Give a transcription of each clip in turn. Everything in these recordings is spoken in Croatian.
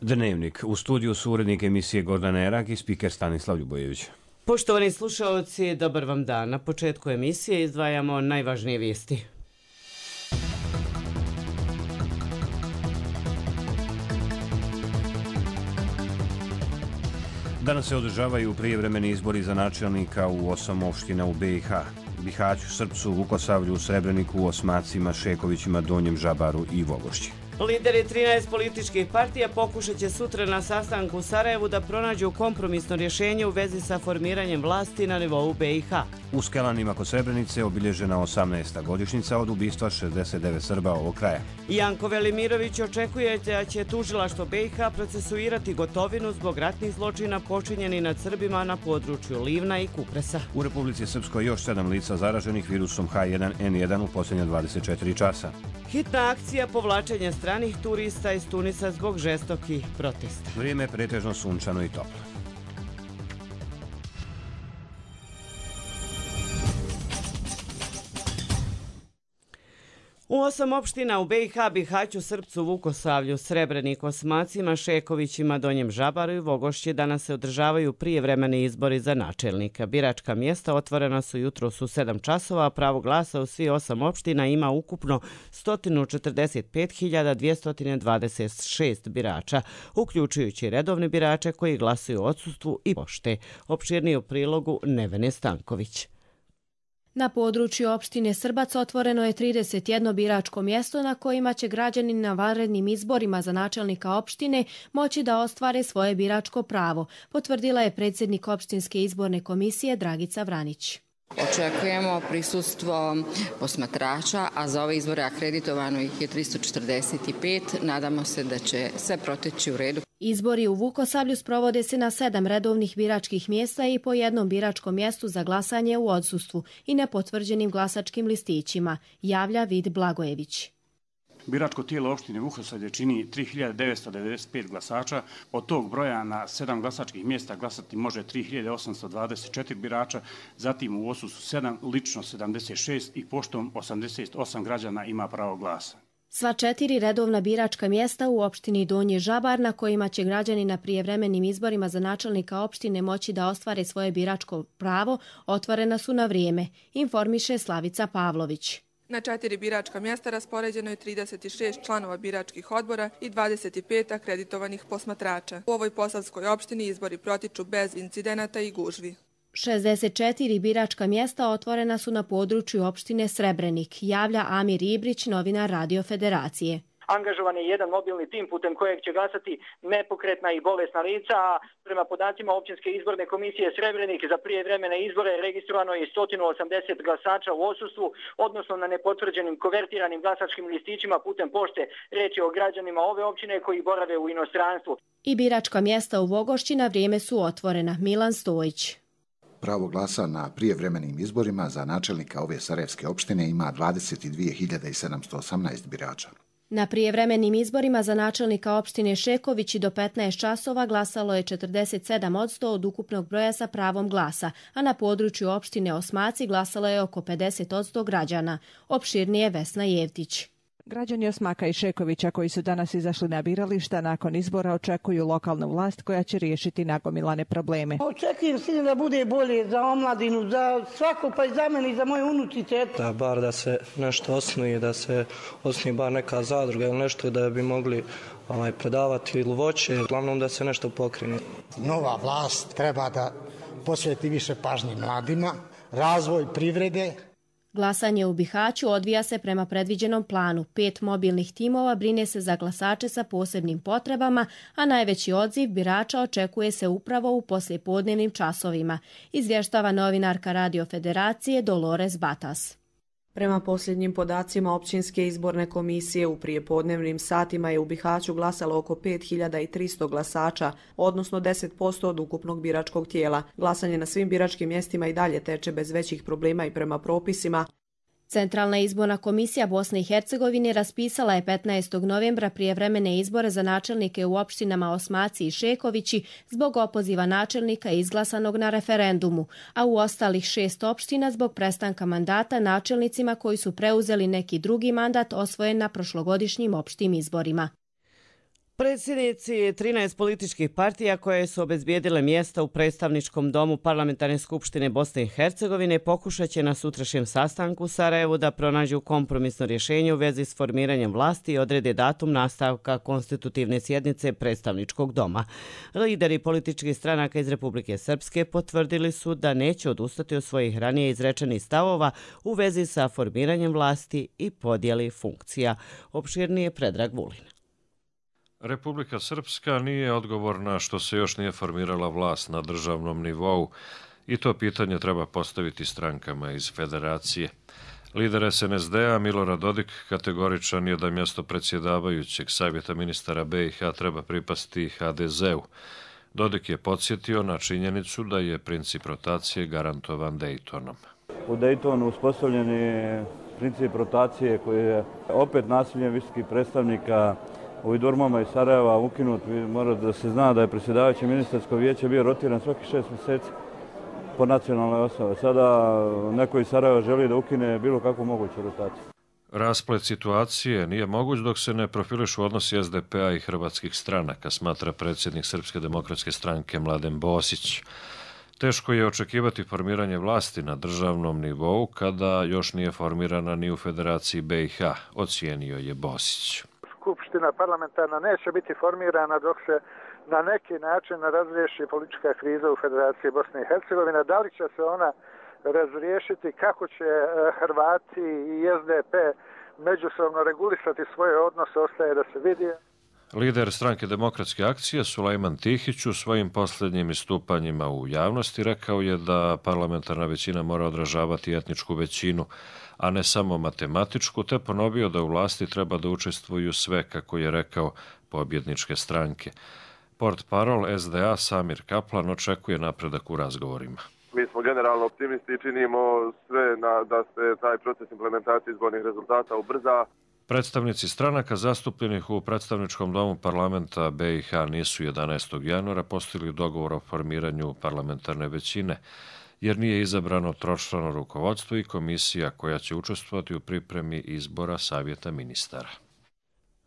Dnevnik. U studiju su urednik emisije Gordana Erak i spiker Stanislav Ljubojević. Poštovani slušaoci, dobar vam dan. Na početku emisije izdvajamo najvažnije vijesti. Danas se održavaju prijevremeni izbori za načelnika u 8 opština u BiH. Bihaću, Srpcu, Vukosavlju, Srebreniku, Osmacima, Šekovićima, Donjem Žabaru i Vogošći. Lideri 13 političkih partija pokušat će sutra na sastanku u Sarajevu da pronađu kompromisno rješenje u vezi sa formiranjem vlasti na nivou BiH. U Skelanima kod Srebrenice obilježena 18. godišnjica od ubistva 69 Srba ovog kraja. Janko Velimirović očekuje da će tužilaštvo BiH procesuirati Gotovinu zbog ratnih zločina počinjeni nad Srbima na području Livna i Kupresa. U Republici Srpskoj još 7 lica zaraženih virusom H1N1 u posljednja 24 časa. Hitna akcija povlačenja stranih turista iz Tunisa zbog žestokih protesta. Vrijeme je pretežno sunčano i toplo. U 8 opština u BiH, Bihaću, Srpcu, Vukosavlju, Srebreniku, Osmacima, Šekovićima, Donjem Žabaru i Vogošći danas se održavaju prijevremeni izbori za načelnika. Biračka mjesta otvorena su jutros u 7 časova, a pravo glasa u svi 8 opština ima ukupno 145.226 birača, uključujući redovne birače koji glasuju u odsustvu i pošte. Opširnije u prilogu Nevene Stanković. Na području opštine Srbac otvoreno je 31 biračko mjesto na kojima će građani na vanrednim izborima za načelnika opštine moći da ostvare svoje biračko pravo, potvrdila je predsjednik opštinske izborne komisije Dragica Vranić. Očekujemo prisustvo posmatrača, a za ove izbore akreditovano ih je 345. Nadamo se da će sve proteći u redu. Izbori u Vukosavlju sprovode se na 7 redovnih biračkih mjesta i po jednom biračkom mjestu za glasanje u odsustvu i nepotvrđenim glasačkim listićima, javlja Vid Blagojević. Biračko tijelo opštine Vukosavlje čini 3995 glasača. Od tog broja na 7 glasačkih mjesta glasati može 3824 birača, zatim u odsustvu 7, lično 76 i poštom 88 građana ima pravo glasa. Sva 4 redovna biračka mjesta u opštini Donji Žabar na kojima će građani na prijevremenim izborima za načelnika opštine moći da ostvare svoje biračko pravo otvorena su na vrijeme, informiše Slavica Pavlović. Na 4 biračka mjesta raspoređeno je 36 članova biračkih odbora i 25 akreditovanih posmatrača. U ovoj posavskoj opštini izbori protiču bez incidenata i gužvi. 64 biračka mjesta otvorena su na području opštine Srebrenik, javlja Amir Ibrić, novinar Radio Federacije. Angažovan je jedan mobilni tim putem kojeg će glasati nepokretna i bolesna lica, a prema podacima općinske izborne komisije Srebrenik za prijevremene izbore registrovano je 180 glasača u odsustvu, odnosno na nepotvrđenim konvertiranim glasačkim listićima putem pošte. Riječ je o građanima ove općine koji borave u inostranstvu. I biračka mjesta u Vogošći na vrijeme su otvorena. Milan Stojić. Pravo glasa na prijevremenim izborima za načelnika ove sarajevske opštine ima 22.718 birača. Na prijevremenim izborima za načelnika opštine Šekovići do 15 časova glasalo je 47% od ukupnog broja sa pravom glasa, a na području opštine Osmaci glasalo je oko 50% građana. Opširnije Vesna Jevtić. Građani Osmaka i Šekovića koji su danas izašli na birališta nakon izbora očekuju lokalnu vlast koja će riješiti nagomilane probleme. Očekujem sigurno da bude bolje za omladinu, za svako, pa i za mene i za moje unučice. Da bar da se nešto osnuje, da se osnuje bar neka zadruga ili nešto da bi mogli predavati ili voće, uglavnom da se nešto pokrene. Nova vlast treba da posveti više pažnje mladima, razvoj privrede. Glasanje u Bihaću odvija se prema predviđenom planu. 5 mobilnih timova brine se za glasače sa posebnim potrebama, a najveći odziv birača očekuje se upravo u poslijepodnevnim časovima, izvještava novinarka Radio Federacije Dolores Batas. Prema posljednjim podacima općinske izborne komisije u prijepodnevnim satima je u Bihaću glasalo oko 5300 glasača, odnosno 10% od ukupnog biračkog tijela. Glasanje na svim biračkim mjestima i dalje teče bez većih problema i prema propisima. Centralna izborna komisija Bosne i Hercegovine raspisala je 15. novembra prijevremene izbore za načelnike u opštinama Osmaci i Šekovići zbog opoziva načelnika izglasanog na referendumu, a u ostalih 6 opština zbog prestanka mandata načelnicima koji su preuzeli neki drugi mandat osvojen na prošlogodišnjim opštim izborima. Predsjednici 13 političkih partija koje su obezbijedile mjesta u predstavničkom domu Parlamentarne skupštine Bosne i Hercegovine pokušat će na sutrašnjem sastanku u Sarajevu da pronađu kompromisno rješenje u vezi s formiranjem vlasti i odrede datum nastavka konstitutivne sjednice predstavničkog doma. Lideri političkih stranaka iz Republike Srpske potvrdili su da neće odustati od svojih ranije izrečenih stavova u vezi sa formiranjem vlasti i podjeli funkcija. Opširnije Predrag Vulin. Republika Srpska nije odgovorna što se još nije formirala vlast na državnom nivou i to pitanje treba postaviti strankama iz federacije. Lider SNSD-a Milorad Dodik kategoričan je da mjesto predsjedavajućeg savjeta ministara BiH treba pripasti HDZ-u. Dodik je podsjetio na činjenicu da je princip rotacije garantovan Daytonom. U Daytonu uspostavljen je princip rotacije koji je opet nasiljem visokih predstavnika u Idurmama iz Sarajeva ukinut. Mora da se zna da je predsjedavajuće ministarsko vijeće bio rotiran svaki 6 mjeseci po nacionalnoj osnovi. Sada neko iz Sarajeva želi da ukine bilo kakvu moguću rotaciju. Rasplet situacije nije moguć dok se ne profilišu odnosi SDP-a i hrvatskih stranaka, smatra predsjednik Srpske demokratske stranke Mladen Bosić. Teško je očekivati formiranje vlasti na državnom nivou kada još nije formirana ni u Federaciji BiH, ocijenio je Bosić. Skupština parlamentarna neće biti formirana dok se na neki način razriješi politička kriza u Federaciji Bosne i Hercegovine. Da li će se ona razriješiti, kako će Hrvati i SDP međusobno regulisati svoje odnose, ostaje da se vidi. Lider stranke Demokratske akcije Sulejman Tihić u svojim posljednjim istupanjima u javnosti rekao je da parlamentarna većina mora odražavati etničku većinu, a ne samo matematičku, te ponovio da u vlasti treba da učestvuju sve, kako je rekao, pobjedničke stranke. Portparol SDA Samir Kaplan očekuje napredak u razgovorima. Mi smo generalno optimisti i činimo sve da se taj proces implementacije izbornih rezultata ubrza. Predstavnici stranaka zastupljenih u predstavničkom domu parlamenta BiH nisu 11. januara postigli dogovor o formiranju parlamentarne većine, jer nije izabrano tročlano rukovodstvo i komisija koja će učestvovati u pripremi izbora savjeta ministara.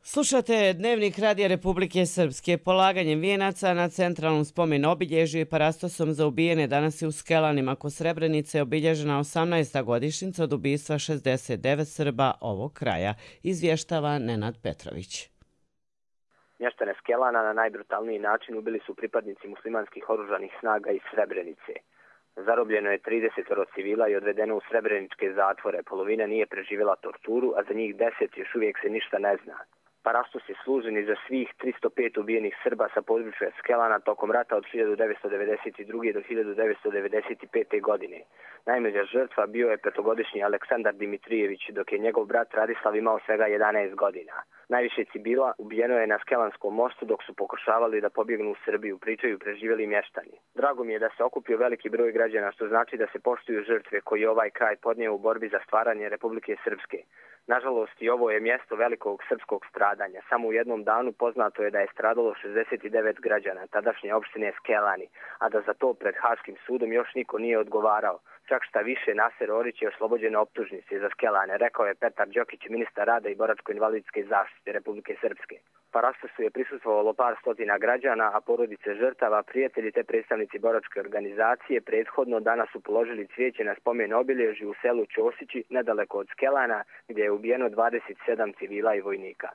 Slušate Dnevnik Radija Republike Srpske. Polaganjem vijenaca na centralnom spomen obilježju i parastosom za ubijene danas je u Skelanima kod Srebrenice obilježena 18. godišnjica od ubistva 69 Srba ovog kraja, izvještava Nenad Petrović. Mještane Skelana na najbrutalniji način ubili su pripadnici muslimanskih oružanih snaga iz Srebrenice. Zarobljeno je 30 civila i odvedeno u srebreničke zatvore. Polovina nije preživjela torturu, a za njih 10 još uvijek se ništa ne zna. Parastos je služen i za svih 305 ubijenih Srba sa područja Skelana tokom rata od 1992. do 1995. godine. Najmlađa žrtva bio je 5-godišnji Aleksandar Dimitrijević, dok je njegov brat Radislav imao svega 11 godina. Najviše civila ubijeno je na Skelanskom mostu dok su pokušavali da pobjegnu u Srbiju, pričaju preživjeli mještani. Drago mi je da se okupio veliki broj građana, što znači da se poštuju žrtve koji je ovaj kraj podnio u borbi za stvaranje Republike Srpske. Nažalost, i ovo je mjesto velikog srpskog stradanja. Samo u jednom danu poznato je da je stradalo 69 građana tadašnje opštine Skelani, a da za to pred Haškim sudom još niko nije odgovarao. Čak šta više, Naser Orić je oslobođen optužnice za Skelane, rekao je Petar Đokić, ministar rada i boračko-invalidske zaštite Republike Srpske. Parastosu je prisustvovalo par stotina građana, a porodice žrtava, prijatelji te predstavnici boračke organizacije prethodno danas su položili cvijeće na spomen obilježju u selu Ćosići, nedaleko od Skelana, gdje je ubijeno 27 civila i vojnika.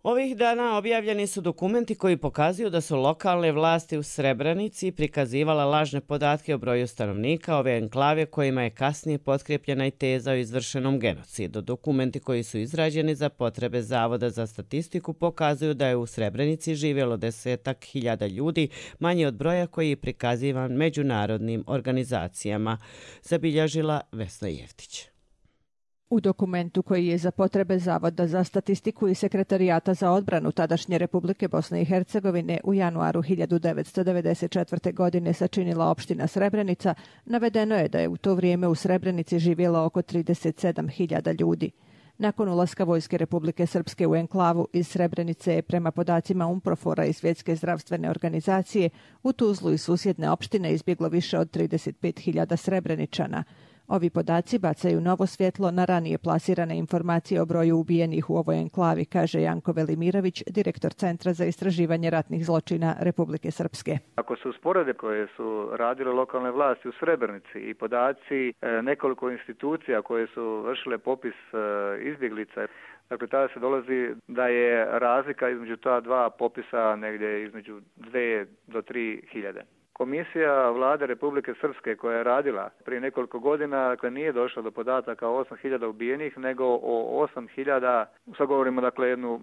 Ovih dana objavljeni su dokumenti koji pokazuju da su lokalne vlasti u Srebrenici prikazivala lažne podatke o broju stanovnika ove enklave kojima je kasnije potkrepljena i teza o izvršenom genocidu. Dokumenti koji su izrađeni za potrebe Zavoda za statistiku pokazuju da je u Srebrenici živjelo 10.000 ljudi, manje od broja koji je prikazivan međunarodnim organizacijama, zabilježila Vesna Jeftić. U dokumentu koji je za potrebe Zavoda za statistiku i Sekretarijata za odbranu tadašnje Republike Bosne i Hercegovine u januaru 1994. godine sačinila opština Srebrenica, navedeno je da je u to vrijeme u Srebrenici živjelo oko 37.000 ljudi. Nakon ulaska Vojske Republike Srpske u enklavu iz Srebrenice je prema podacima UNPROFOR-a i Svjetske zdravstvene organizacije u Tuzlu i susjedne opštine izbjeglo više od 35.000 Srebreničana. Ovi podaci bacaju novo svjetlo na ranije plasirane informacije o broju ubijenih u ovoj enklavi, kaže Janko Velimirović, direktor Centra za istraživanje ratnih zločina Republike Srpske. Ako se usporede koje su radile lokalne vlasti u Srebrenici i podaci nekoliko institucija koje su vršile popis izbjeglica, dakle tada se dolazi da je razlika između ta dva popisa negdje između 2 do 3 hiljade. Komisija vlade Republike Srpske koja je radila prije nekoliko godina, dakle nije došla do podataka o 8.000 ubijenih, nego o 8.000, sad govorimo dakle jednu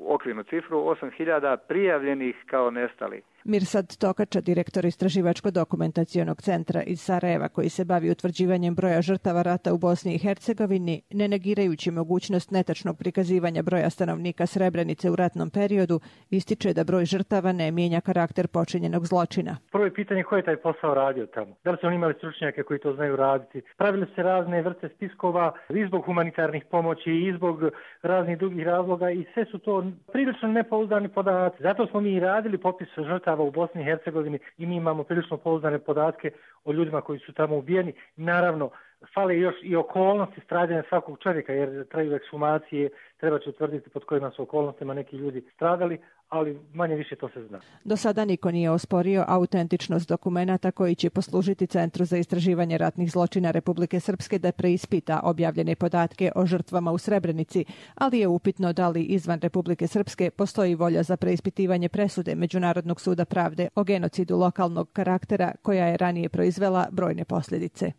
okvirnu cifru, 8.000 prijavljenih kao nestali. Mirsad Tokača, direktor Istraživačko-dokumentacionog centra iz Sarajeva koji se bavi utvrđivanjem broja žrtava rata u Bosni i Hercegovini, ne negirajući mogućnost netačnog prikazivanja broja stanovnika Srebrenice u ratnom periodu, ističe da broj žrtava ne mijenja karakter počinjenog zločina. Prvo je pitanje ko je taj posao radio tamo. Da li su oni imali stručnjake koji to znaju raditi? Pravili se razne vrste spiskova i zbog humanitarnih pomoći i zbog raznih drugih razloga i sve su to prilično nepouzdani podaci. Zato smo mi radili popis žrtava u Bosni i Hercegovini i mi imamo prilično pouzdane podatke o ljudima koji su tamo ubijeni. Naravno, fale još i okolnosti stradanja svakog čovjeka, jer traju ekshumacije, treba će utvrditi pod kojima su okolnostima neki ljudi stradali, ali manje više to se zna. Do sada niko nije osporio autentičnost dokumenata koji će poslužiti Centru za istraživanje ratnih zločina Republike Srpske da preispita objavljene podatke o žrtvama u Srebrenici, ali je upitno da li izvan Republike Srpske postoji volja za preispitivanje presude Međunarodnog suda pravde o genocidu lokalnog karaktera koja je ranije proizvela brojne posljedice.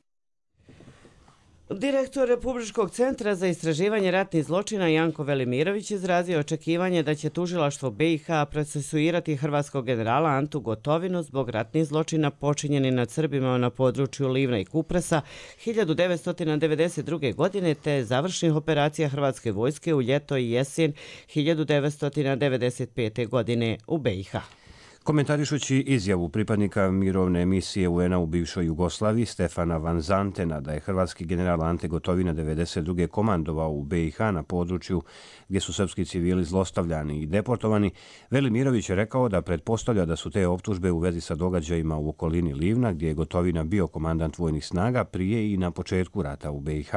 Direktor Republičkog centra za istraživanje ratnih zločina Janko Velimirović izrazio očekivanje da će tužilaštvo BiH procesuirati hrvatskog generala Antu Gotovinu zbog ratnih zločina počinjeni nad Srbima na području Livna i Kupresa 1992. godine te završnih operacija Hrvatske vojske u ljeto i jesen 1995. godine u BiH. Komentarišući izjavu pripadnika mirovne misije UN-a u bivšoj Jugoslaviji Stefana Van Zantena da je hrvatski general Ante Gotovina 1992. komandovao u BiH na području gdje su srpski civili zlostavljani i deportovani, Velimirović je rekao da pretpostavlja da su te optužbe u vezi sa događajima u okolini Livna gdje je Gotovina bio komandant vojnih snaga prije i na početku rata u BiH.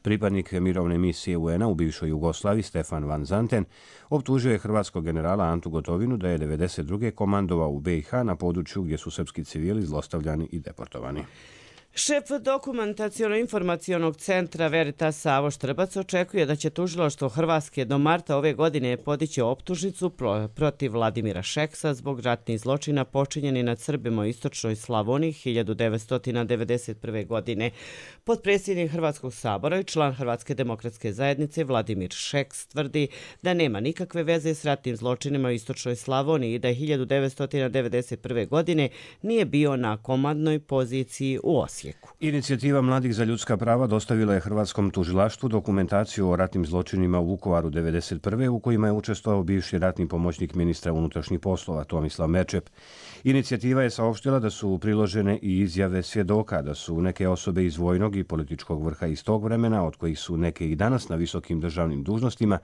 Pripadnik mirovne misije UN-a u bivšoj Jugoslaviji Stefan Van Zanten optužio je hrvatskog generala Antu Gotovinu da je 1992. komandovao u BiH na području gdje su srpski civili zlostavljani i deportovani. Šef dokumentaciono-informacionog centra Veritas Savo Štrbac očekuje da će tužilaštvo Hrvatske do marta ove godine podići optužnicu protiv Vladimira Šeksa zbog ratnih zločina počinjeni nad Srbima u istočnoj Slavoniji 1991. godine. Potpredsjednik Hrvatskog sabora i član Hrvatske demokratske zajednice Vladimir Šeks tvrdi da nema nikakve veze s ratnim zločinima u istočnoj Slavoniji i da 1991. godine nije bio na komandnoj poziciji u Osijeku. Inicijativa Mladih za ljudska prava dostavila je Hrvatskom tužilaštvu dokumentaciju o ratnim zločinima u Vukovaru 1991. u kojima je učestvovao bivši ratni pomoćnik ministra unutrašnjih poslova Tomislav Merčep. Inicijativa je saopštila da su priložene i izjave svjedoka da su neke osobe iz vojnog i političkog vrha iz tog vremena, od kojih su neke i danas na visokim državnim dužnostima,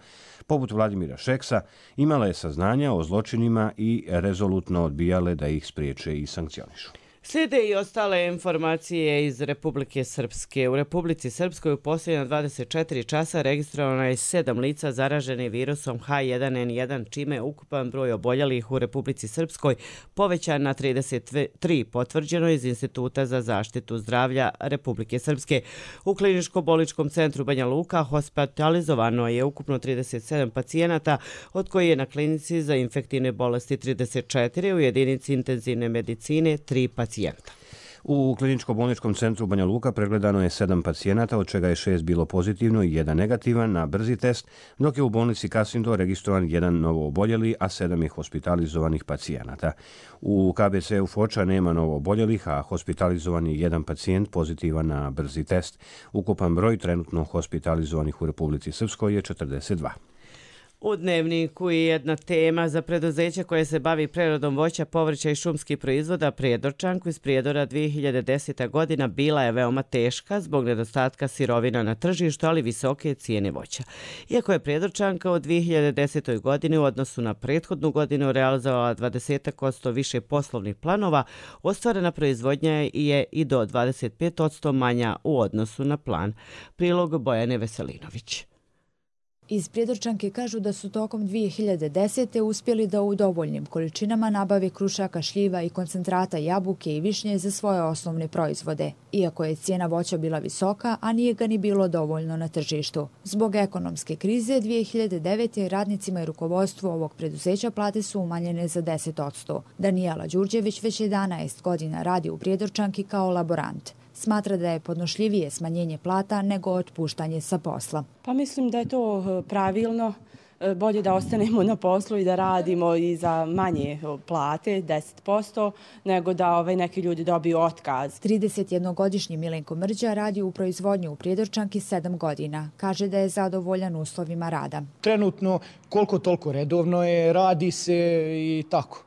poput Vladimira Šeksa, imale saznanja o zločinima i rezolutno odbijale da ih spriječe i sankcionišu. Slijede i ostale informacije iz Republike Srpske. U Republici Srpskoj u posljednja 24 časa registrovano je 7 lica zaraženi virusom H1N1, čime je ukupan broj oboljelih u Republici Srpskoj povećan na 33, potvrđeno iz Instituta za zaštitu zdravlja Republike Srpske. U kliničko-bolničkom centru Banja Luka hospitalizovano je ukupno 37 pacijenata, od koji je na klinici za infektivne bolesti 34, u jedinici intenzivne medicine 3 pacijenta. U kliničko-bolničkom centru Banja Luka pregledano je 7 pacijenata, od čega je 6 bilo pozitivno i 1 negativan na brzi test, dok je u bolnici Kasindo registrovan 1 novo oboljeli, a 7 je hospitalizovanih pacijenata. U KBC-u Foča nema novo oboljelih, a hospitalizovan je 1 pacijent pozitivan na brzi test. Ukupan broj trenutno hospitalizovanih u Republici Srpskoj je 42. U Dnevniku je jedna tema za preduzeće koje se bavi preradom voća, povrća i šumskih proizvoda. Prijedorčanku iz Prijedora 2010. godina bila je veoma teška zbog nedostatka sirovina na tržištu, ali visoke cijene voća. Iako je Prijedorčanka u 2010. godini u odnosu na prethodnu godinu realizovala 20% više poslovnih planova, ostvarena proizvodnja je i do 25% manja u odnosu na plan. Prilog Bojane Veselinović. Iz Prijedorčanke kažu da su tokom 2010. uspjeli da u dovoljnim količinama nabave krušaka, šljiva i koncentrata jabuke i višnje za svoje osnovne proizvode, iako je cijena voća bila visoka, a nije ga ni bilo dovoljno na tržištu. Zbog ekonomske krize 2009. radnicima i rukovodstvu ovog preduzeća plate su umanjene za 10%. Danijela Đurđević već 11 godina radi u Prijedorčanki kao laborant. Smatra da je podnošljivije smanjenje plata nego otpuštanje sa posla. Pa mislim da je to pravilno. Bolje da ostanemo na poslu i da radimo i za manje plate, 10%, nego da neki ljudi dobiju otkaz. 31-godišnji Milenko Mrđa radi u proizvodnju u Prijedorčanki 7 godina. Kaže da je zadovoljan uslovima rada. Trenutno koliko toliko redovno je, radi se i tako.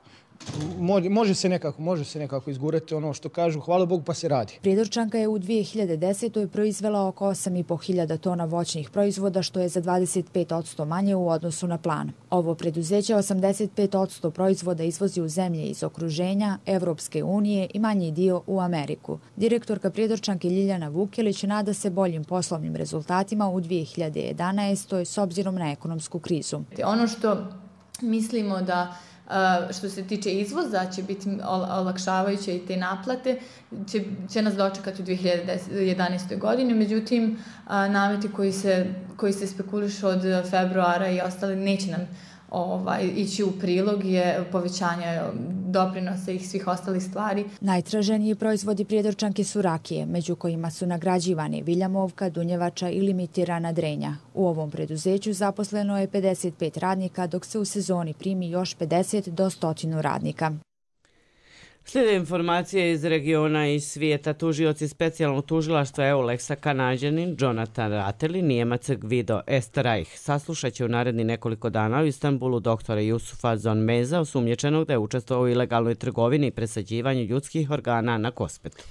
Može se nekako izgurati ono što kažu, hvala Bogu, pa se radi. Prijedorčanka je u 2010. proizvela oko 8.500 tona voćnih proizvoda, što je za 25% manje u odnosu na plan. Ovo preduzeće 85% proizvoda izvozi u zemlje iz okruženja, Evropske unije i manji dio u Ameriku. Direktorka Prijedorčanke Ljiljana Vukelić nada se boljim poslovnim rezultatima u 2011. s obzirom na ekonomsku krizu. Ono što mislimo da što se tiče izvoza će biti olakšavajuće i te naplate će nas dočekati u 2011. godini. Međutim, nameti koji se spekulišu od februara i ostali neće nam ići u prilog je povećanje doprinosa i svih ostalih stvari. Najtraženiji proizvodi Prijedorčanke su rakije, među kojima su nagrađivani viljamovka, dunjevača i limitirana drenja. U ovom preduzeću zaposleno je 55 radnika, dok se u sezoni primi još 50 do 100 radnika. Slijede informacije iz regiona i svijeta. Tužioci specijalnog tužilaštva EULEX-a Kanađanin Jonathan Rateli, Nijemac Gvido Esterreich saslušat će u naredni nekoliko dana u Istanbulu doktora Jusufa Zonmeza, osumnjičenog da je učestvovao u ilegalnoj trgovini i presađivanju ljudskih organa na Kosmetu.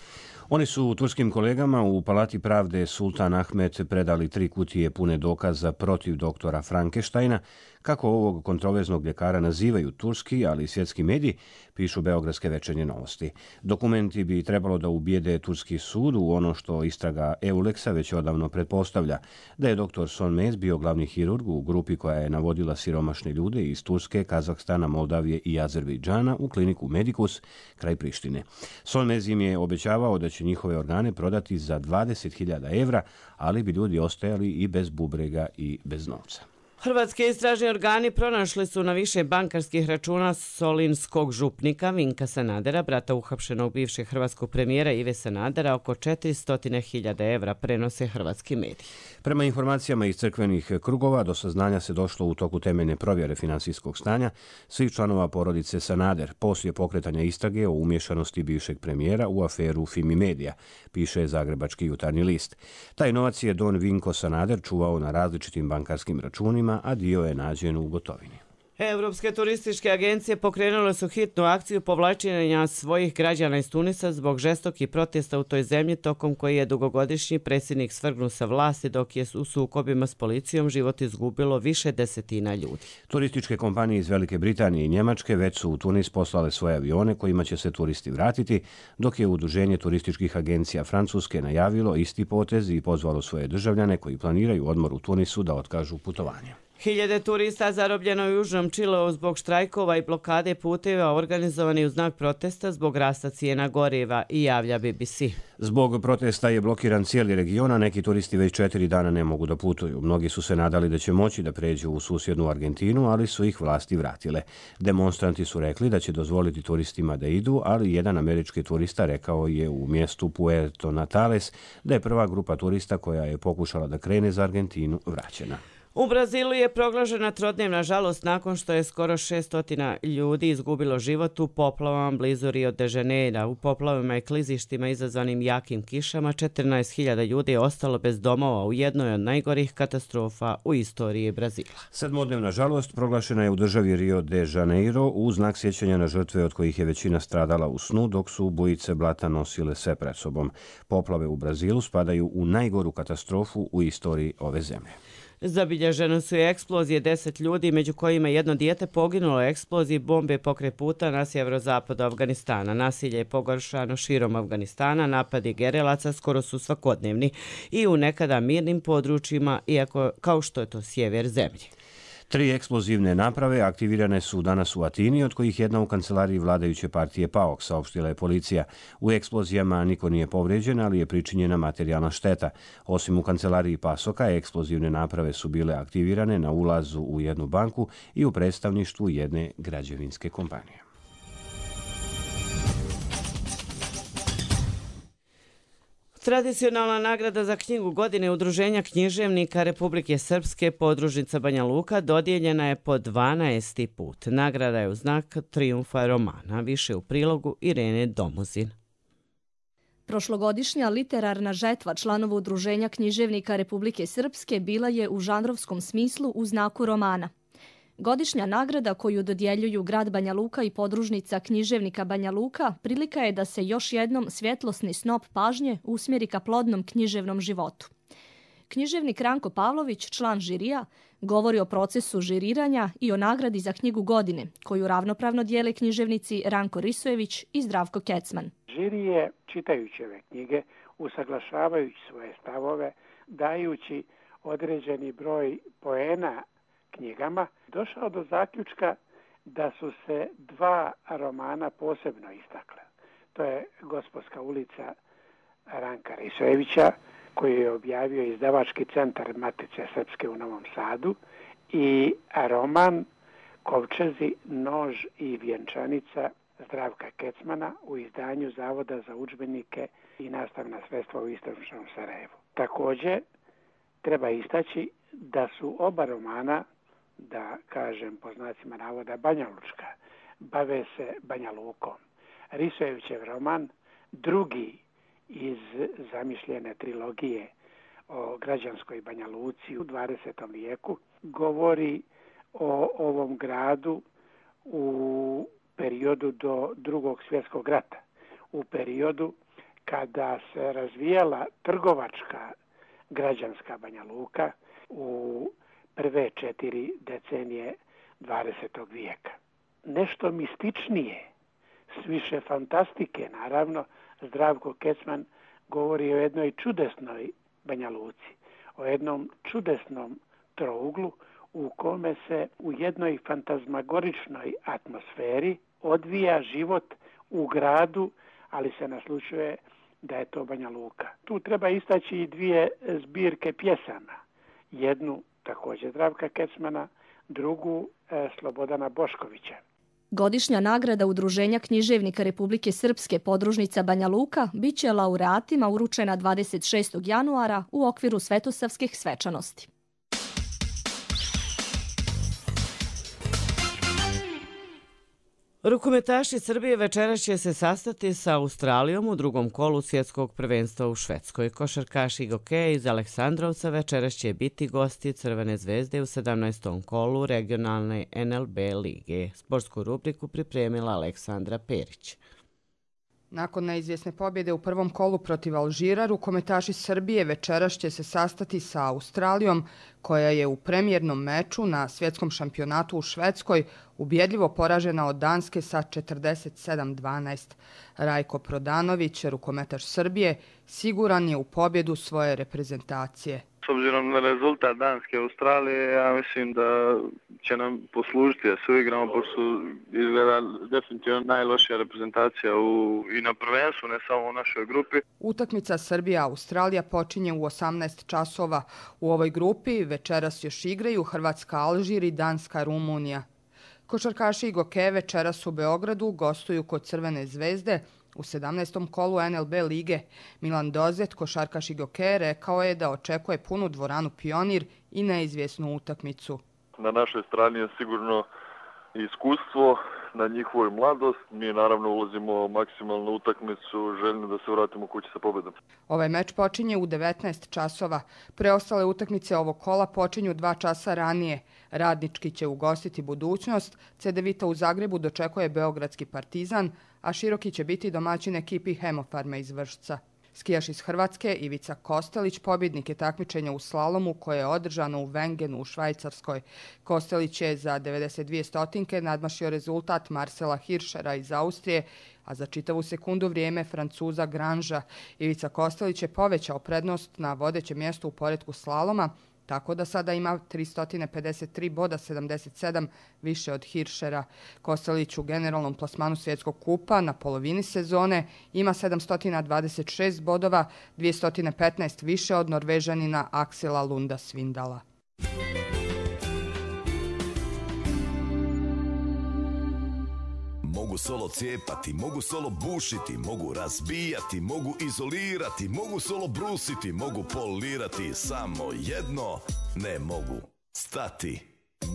Oni su turskim kolegama u Palati pravde Sultan Ahmet predali 3 kutije pune dokaza protiv doktora Frankensteina, kako ovog kontroverznog ljekara nazivaju turski, ali i svjetski mediji, pišu beogradske Večernje novosti. Dokumenti bi trebalo da ubijede turski sud u ono što istraga EULEX-a već odavno pretpostavlja, da je doktor Sonmez bio glavni hirurg u grupi koja je navodila siromašne ljude iz Turske, Kazahstana, Moldavije i Azerbejdžana u kliniku Medicus kraj Prištine. Sonmez im je obećavao da će njihove organe prodati za 20.000 evra, ali bi ljudi ostajali i bez bubrega i bez novca. Hrvatski istražni organi pronašli su na više bankarskih računa solinskog župnika Vinka Sanadera, brata uhapšenog bivšeg hrvatskog premijera Ive Sanadera, oko 400.000 evra, prenose hrvatski mediji. Prema informacijama iz crkvenih krugova, do saznanja se došlo u toku temeljne provjere finansijskog stanja svih članova porodice Sanader, poslije pokretanja istrage o umješanosti bivšeg premijera u aferu Fimi Media, piše Zagrebački jutarnji list. Taj novac je don Vinko Sanader čuvao na različitim bankarskim računima, a dio je nađen u gotovini. Europske turističke agencije pokrenule su hitnu akciju povlačenja svojih građana iz Tunisa zbog žestokih protesta u toj zemlji, tokom koji je dugogodišnji predsjednik svrgnut sa vlasti, dok je u sukobima s policijom život izgubilo više desetina ljudi. Turističke kompanije iz Velike Britanije i Njemačke već su u Tunis poslale svoje avione kojima će se turisti vratiti, dok je Udruženje turističkih agencija Francuske najavilo isti potez i pozvalo svoje državljane koji planiraju odmor u Tunisu da otkažu putovanje. Hiljade turista zarobljeno u Južnom Čileu zbog štrajkova i blokade puteva organizovani u znak protesta zbog rasta cijena goriva, i javlja BBC. Zbog protesta je blokiran cijeli region, a neki turisti već 4 dana ne mogu da putuju. Mnogi su se nadali da će moći da pređu u susjednu Argentinu, ali su ih vlasti vratile. Demonstranti su rekli da će dozvoliti turistima da idu, ali jedan američki turista rekao je u mjestu Puerto Natales da je prva grupa turista koja je pokušala da krene za Argentinu vraćena. U Brazilu je proglašena trodnevna žalost nakon što je skoro 600 ljudi izgubilo život u poplavama blizu Rio de Janeira. U poplavama i klizištima izazvanim jakim kišama 14.000 ljudi je ostalo bez domova u jednoj od najgorih katastrofa u istoriji Brazila. 7-dnevna žalost proglašena je u državi Rio de Janeiro u znak sjećanja na žrtve od kojih je većina stradala u snu dok su bujice blata nosile sve pred sobom. Poplave u Brazilu spadaju u najgoru katastrofu u istoriji ove zemlje. Zabilježene su i eksplozije 10 ljudi, među kojima jedno dijete poginulo u eksploziji bombe pokraj puta na sjeverozapadu Afganistana. Nasilje je pogoršano širom Afganistana, napadi gerilaca skoro su svakodnevni i u nekada mirnim područjima, iako kao što je to sjever zemlje. 3 eksplozivne naprave aktivirane su danas u Atini, od kojih jedna u kancelariji vladajuće partije PAOK, saopštila je policija. U eksplozijama niko nije povređen, ali je pričinjena materijalna šteta. Osim u kancelariji PASOK-a, eksplozivne naprave su bile aktivirane na ulazu u jednu banku i u predstavništvu jedne građevinske kompanije. Tradicionalna nagrada za knjigu godine Udruženja književnika Republike Srpske podružnica Banja Luka dodijeljena je po 12. put. Nagrada je u znak trijumfa romana. Više u prilogu Irene Domuzin. Prošlogodišnja literarna žetva članova Udruženja književnika Republike Srpske bila je u žanrovskom smislu u znaku romana. Godišnja nagrada koju dodjeljuju grad Banja Luka i podružnica književnika Banja Luka prilika je da se još jednom svjetlosni snop pažnje usmjeri ka plodnom književnom životu. Književnik Ranko Pavlović, član žirija, govori o procesu žiriranja i o nagradi za knjigu godine, koju ravnopravno dijele književnici Ranko Risojević i Zdravko Kecman. Žiri je, čitajući ove knjige, usaglašavajući svoje stavove, dajući određeni broj poena knjigama, došao do zaključka da su se 2 romana posebno istakle. To je Gospodska ulica Ranka Risojevića, koji je objavio izdavački centar Matice Srpske u Novom Sadu, i roman Kovčezi, nož i vjenčanica Zdravka Kecmana u izdanju Zavoda za udžbenike i nastavna sredstva u Istočnom Sarajevu. Također, treba istaći da su oba romana, da kažem po znacima navoda, banjalučka, bave se Banja Lukom. Risojevićev roman, drugi iz zamišljene trilogije o građanskoj Banja Luci u 20. vijeku, govori o ovom gradu u periodu do Drugog svjetskog rata, u periodu kada se razvijala trgovačka građanska Banja Luka u prve 4 decenije 20. vijeka. Nešto mističnije, s više fantastike, naravno, Zdravko Kecman govori o jednoj čudesnoj Banja Luci, o jednom čudesnom trouglu u kome se u jednoj fantazmagoričnoj atmosferi odvija život u gradu, ali se naslučuje da je to Banja Luka. Tu treba istaći i 2 zbirke pjesama. Jednu također Zdravka Kecmana, drugu Slobodana Boškovića. Godišnja nagrada Udruženja književnika Republike Srpske podružnica Banja Luka bit će laureatima uručena 26. januara u okviru svetosavskih svečanosti. Rukometaši Srbije večeras će se sastati sa Australijom u drugom kolu svjetskog prvenstva u Švedskoj. Košarkaši i hokeja iz Aleksandrovca večeras će biti gosti Crvene zvezde u 17. kolu regionalne NLB lige. Sportsku rubriku pripremila Aleksandra Perić. Nakon neizvjesne pobjede u prvom kolu protiv Alžira, rukometaši Srbije večeras će se sastati sa Australijom, koja je u premijernom meču na svjetskom šampionatu u Švedskoj ubjedljivo poražena od Danske sa 47-12. Rajko Prodanović, rukometaš Srbije, siguran je u pobjedu svoje reprezentacije. S obzirom na rezultat Danske Australije, ja mislim da će nam poslužiti da se uigramo, pošto izgleda definitivno najlošija reprezentacija i na prvenstvu, ne samo u našoj grupi. Utakmica Srbija-Australija počinje u 18 časova. U ovoj grupi večeras još igraju Hrvatska, Alžir i Danska, Rumunija. Košarkaši i hokeja večeras u Beogradu gostuju kod Crvene zvezde U 17. kolu NLB lige Milan Dozet, košarkaš Igoke, rekao je da očekuje punu dvoranu Pionir i neizvjesnu utakmicu. Na našoj strani je sigurno iskustvo, na njihovoj mladost. Mi naravno ulazimo maksimalno utakmicu, željno da se vratimo kući sa pobedom. Ovaj meč počinje u 19 časova. Preostale utakmice ovog kola počinju 2 časa ranije. Radnički će ugostiti Budućnost, CDVita u Zagrebu dočekuje Beogradski Partizan, a Široki će biti domaćin ekipi Hemofarma iz Vršca. Skijaš iz Hrvatske Ivica Kostelić pobjednik je takmičenja u slalomu koje je održano u Wengenu u Švajcarskoj. Kostelić je za 92 stotinke nadmašio rezultat Marcela Hirschera iz Austrije, a za čitavu sekundu vrijeme Francuza Granža. Ivica Kostelić je povećao prednost na vodećem mjestu u poretku slaloma, tako da sada ima 353 boda, 77 više od Hirschera. Kostelić u generalnom plasmanu svjetskog kupa na polovini sezone ima 726 bodova, 215 više od Norvežanina Aksela Lunda Svindala. Mogu solo cijepati, mogu solo bušiti, mogu razbijati, mogu izolirati, mogu solo brusiti, mogu polirati, samo jedno ne mogu stati.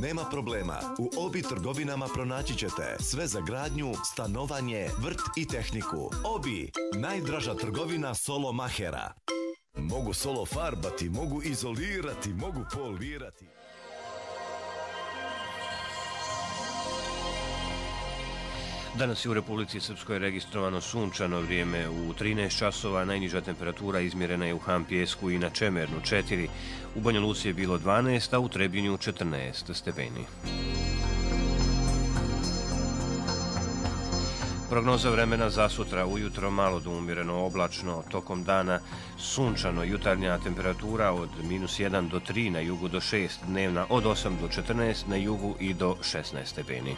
Nema problema, u Obi trgovinama pronaći ćete sve za gradnju, stanovanje, vrt i tehniku. Obi, najdraža trgovina solo mahera. Mogu solo farbati, mogu izolirati, mogu polirati. Danas je u Republici Srpskoj registrovano sunčano vrijeme u 13 časova, najniža temperatura izmjerena je u Hampijesku i na Čemernu 4, u Banja Luci je bilo 12, a u Trebinju 14 stepeni. Prognoza vremena za sutra: ujutro malo do umjereno oblačno, tokom dana sunčano, jutarnja temperatura od -1 do 3, na jugu do 6, dnevna od 8 do 14, na jugu i do 16 stepeni.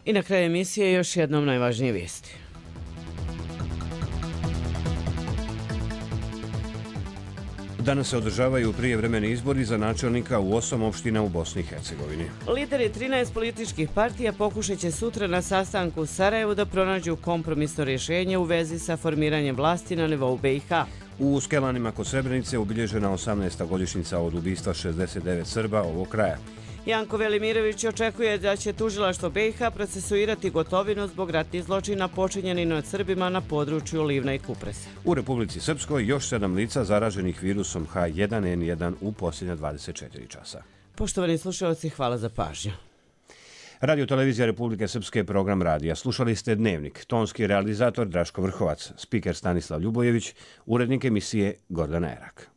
I na kraju emisije još jednom najvažnije vijesti. Danas se održavaju prijevremeni izbori za načelnika u 8 opština u Bosni i Hercegovini. Lideri 13 političkih partija pokušat će sutra na sastanku u Sarajevu da pronađu kompromisno rješenje u vezi sa formiranjem vlasti na nivou BiH. U Skelanima kod Srebrenice obilježena 18. godišnjica od ubistva 69 Srba ovog kraja. Janko Velimirović očekuje da će tužilaštvo BiH procesuirati Gotovinu zbog ratnih zločina počinjenih nad Srbima na području Livna i Kupresa. U Republici Srpskoj još 7 lica zaraženih virusom H1N1 u posljednja 24 časa. Poštovani slušalci, hvala za pažnju. Radio Televizija Republike Srpske, program radija. Slušali ste Dnevnik. Tonski realizator Draško Vrhovac, spiker Stanislav Ljubojević, urednik emisije Gordana Erak.